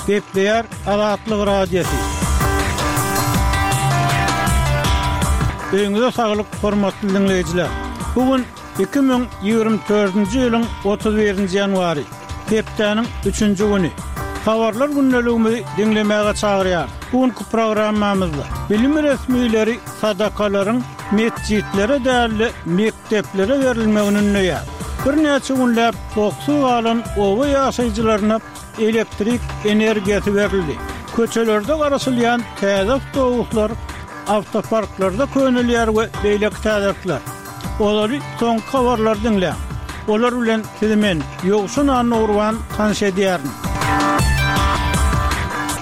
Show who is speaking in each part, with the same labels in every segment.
Speaker 1: Gepleýär Azatlyk Radiosy. Öýüňize saglyk, hormatly diňleýjiler! Bu gün 2024-nji ýylyň 31-nji ýanwary, hepdäniň üçünji güni. Habarlar gündeligimizi diňlemäge çagyrýarys. Bu günki programmamyzda bilim resmileri sadakalaryň metjitlere däl-de, mekdeplere berilmegini ündeýär. Birnäçe günläp toksuz galan oba ýaşaýjylaryna elektrik energiýasy berildi. Köçelerde garaşylýan täze awtobuslar awtoparklarda könelýär we beýleki täzelikler. Olary soňky habarlary diňläň. Olar bilen sizi men, Ýowşan Annagurban tanyş edýärin.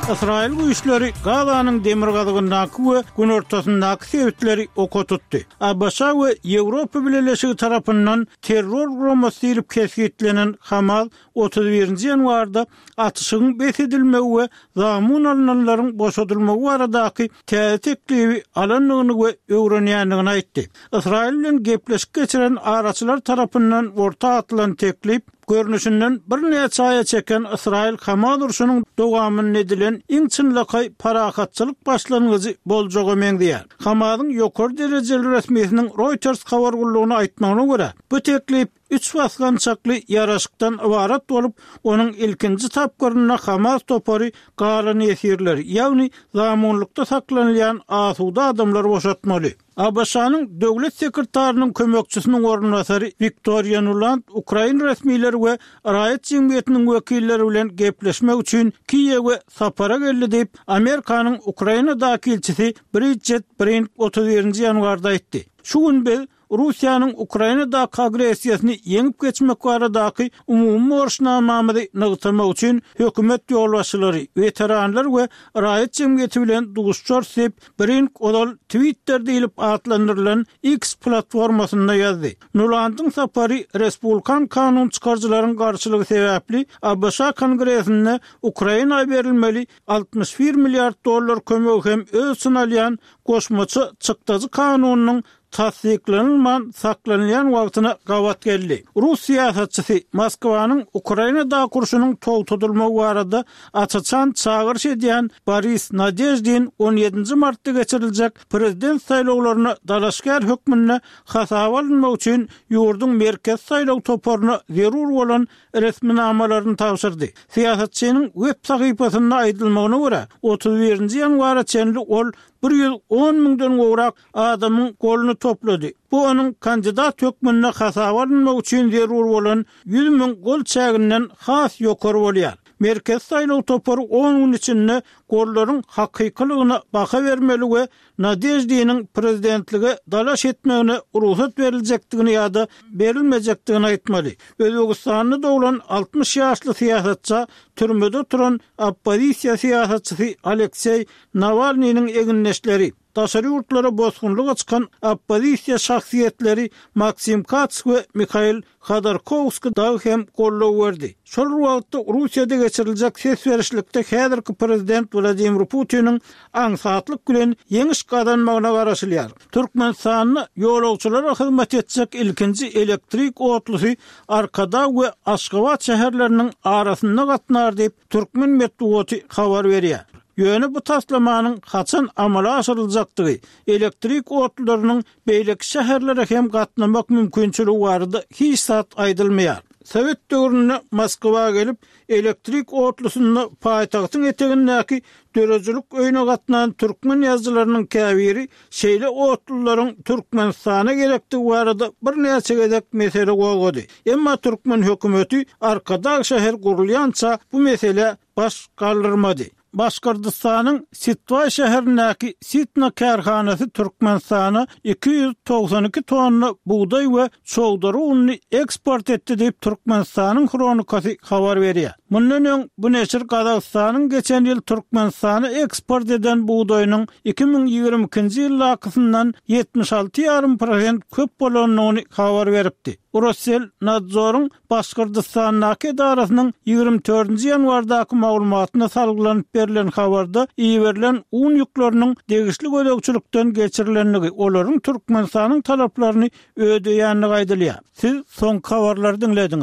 Speaker 1: Ysraýyl güýçleri Gazanyň demirgazygyndaky we günortasyndaky sebitleri oka tutdy. ABŞ we Ýewropa Bileleşigi tarapyndan terror guramasy diýlip kesgitlenen Hamas 31-nji ýanwarda atyşygyň bes edilmegi we zamun alnanlaryň boşadylmagy baradaky täze teklibi alandygyny we öwrenýändigini aýtdy. Ysraýyl bilen gepleşik geçiren araçylar tarapyndan orta atylan teklip, görnüşinden birnäçe aýa çeken Ysraýyl-Hamas urşunyň dowamynda edilen iň çynlakaý parahatçylyk başlangyjy boljaga meňzeýär. Hamasyň ýokary derejeli resmisiniň Reuters habar gullugyna aýtmagyna görä, bu teklip üç basgançakly ýaraşykdan ybarat bolup, onuň ilkinji tapgyrynda Hamas topary galan ýesirleri, ýagny zamunlykda saklanylýan asuda adamlary boşatmaly. ABŞ-nyň Döwlet sekretarynyň kömekçisiniň orunbasary Wiktoriýa Nuland ukrain resmileri we raýat jemgyýetiniň wekilleri bilen gepleşmek üçin Kiýewe sapara geldi diýip, Amerikanyň Ukrainadaky ilçisi Bridjet Brink 31-nji ýanwarda aýtdy. Şu gün biz Russiýanyň Ukrainadaky agressiýasyny ýeňip geçmek baradaky umumy borçnamamyzy nygtamak üçin hökümet ýolbaşçylary, weteranlar we raýat jemgyýeti bilen duşuşarys diýip, Brink ozal Twitter diýlip atlandyrylan X platformasynda ýazdy. Nulandyň sapary respublikan kanun çykaryjylaryň garşylygy sebäpli ABŞ Kongresinde Ukraina berilmeli 61 milliard dollar kömegi hem öz içine alýan goşmaça çykdajy kanunynyň tassyklanylman saklanylýan wagtyna gabat geldi. Rus syýasatçysy Moskwanyň Ukrainadaky urşunyň togtadylmagy barada aç-açan çagyryş edýän Boris Nadeždin on ýedinji martda geçiriljek prezident saýlawlaryna dalaşgär hökmünde hasaba alynmak üçin ýurduň Merkezi saýlaw toparyna zerur bolan resminamalaryny tabşyrdy. Syýasatçynyň web sahypasynda aýdylmagyna görä, 31-nji ýanwara çenli ol 110 müňden gowrak adamyň goluny toplady. Bu onuň kandidat hökmünde hasaba alynmagy üçin zerur bolan 100 müň gol çäginden has ýokary bolýar. Merkezi saýlaw topary on gün içinde gollaryň hakykylygyna baha bermeli we Nadeždiniň prezidentlige dalaş etmegine rugsat beriljekdigini ýa-da berilmejekdigini aýtmaly. Özbegistanda doglan 60 ýaşly syýasatça türmede oturan oppozisiýa syýasatçysy Alekseý Nawalnynyň egindeşleri, daşary ýurtlara bosgunlyga çykan oppozisiýa şahsyýetleri Maksim Kats we Mihail Hodorkowskiý dagy hem goldaw berdi. Şol bir wagtda, Russiýada geçiriljek ses berişlikde häzirki prezident Wladimir Putiniň aňsatlyk bilen ýeňiş gazanmagyna garaşylýar. Türkmenistanda ýolagçylara hyzmat etjek ilkinji elektrik otlusy Arkadag we Aşgabat şäherleriniň arasynda gatnar diýip, türkmen metbugaty habar berýär. Ýöne bu taslamanyň haçan amala aşyryljakdygy, elektrik otlularynyň beýleki şäherlere hem gatnamak mümkinçiligi barada hiç zat aýdylmaýar. Sowet döwründe Moskwa gelip, elektrik otlusynda paýtagtyň etegindäki Döredijilik öýüne gatnan türkmen ýazyjylarynyň käbiri şeýle otlularyň Türkmenistana gerekdigi barada birnäçe gezek mesele gozgady. Emma türkmen hökümeti Arkadag şäheri gurulýança bu meselä baş galdyrmady. Başgyrdystanyň Sitwaý şäherindäki Sitna kärhanasy Türkmenistana 292 tonna bugdaý we çowdary ununy eksport etdi diýip, Türkmenistanyň Hronikasy habar berýär. Mundan öň, bu neşir Gazagystanyň geçen ýyl Türkmenistana eksport eden bugdaýynyň 2022-nji ýyldakysyndan 76 ýarym prosent köp bolandygyny habar beripdi. Rosselnadzoryň Başgyrdystandaky edarasynyň 24-nji ýanwardaky maglumatyna salgylanyp berlen habarda iberilen un ýükleriniň degişli gözegçilikden geçirilendigi, olaryň Türkmenistanyň talaplaryny ödeýändigi aýdylýar. Siz soňky habarlary diňlediňiz.